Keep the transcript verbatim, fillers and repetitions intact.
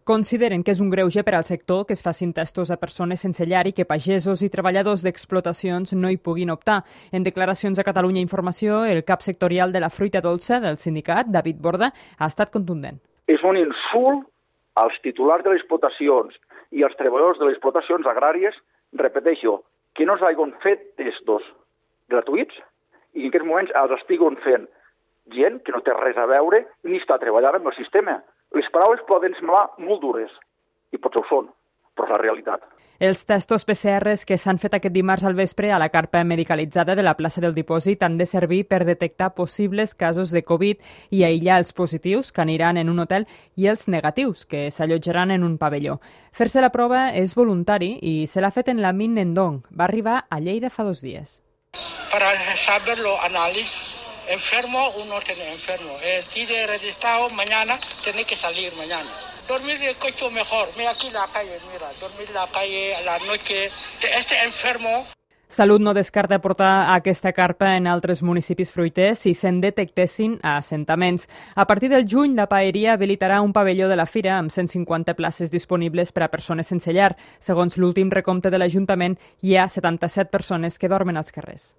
Consideren que és un greuge per al sector que es facin testos a persones sense llar i que pagesos i treballadors d'explotacions no hi puguin optar. En declaracions a Catalunya Informació, el cap sectorial de la fruita dolça del sindicat, David Borda, ha estat contundent. És un insult als titulars de les explotacions i als treballadors de les explotacions agràries, repeteixo, que no s'hagin fet testos gratuïts i en aquests moments els estiguin fent gent que no té res a veure ni està treballant amb el sistema. Les paraules poden semblar molt dures, i potser ho són, però és la realitat. Els testos P C Rs que s'han fet aquest dimarts al vespre a la carpa medicalitzada de la plaça del Dipòsit han de servir per detectar possibles casos de Covid i aïllar els positius, que aniran en un hotel, i els negatius, que s'allotjaran en un pavelló. Fer-se la prova és voluntari i se l'ha fet en la Min Nendong. Va arribar a Lleida fa dos dies. Para saberlo, análisis. Enfermo, uno tiene enfermo. El tiene registrado, mañana tiene que salir mañana. Dormir en el coche mejor. Mira aquí la calle, mira, dormir en la calle a la noche. Este enfermo... Salut no descarta portar aquesta carpa en altres municipis fruiters si se'n detectessin a assentaments. A partir del juny, la paeria habilitarà un pavelló de la fira amb cent cinquanta places disponibles per a persones sense llar. Segons l'últim recompte de l'Ajuntament, hi ha setanta-set persones que dormen als carrers.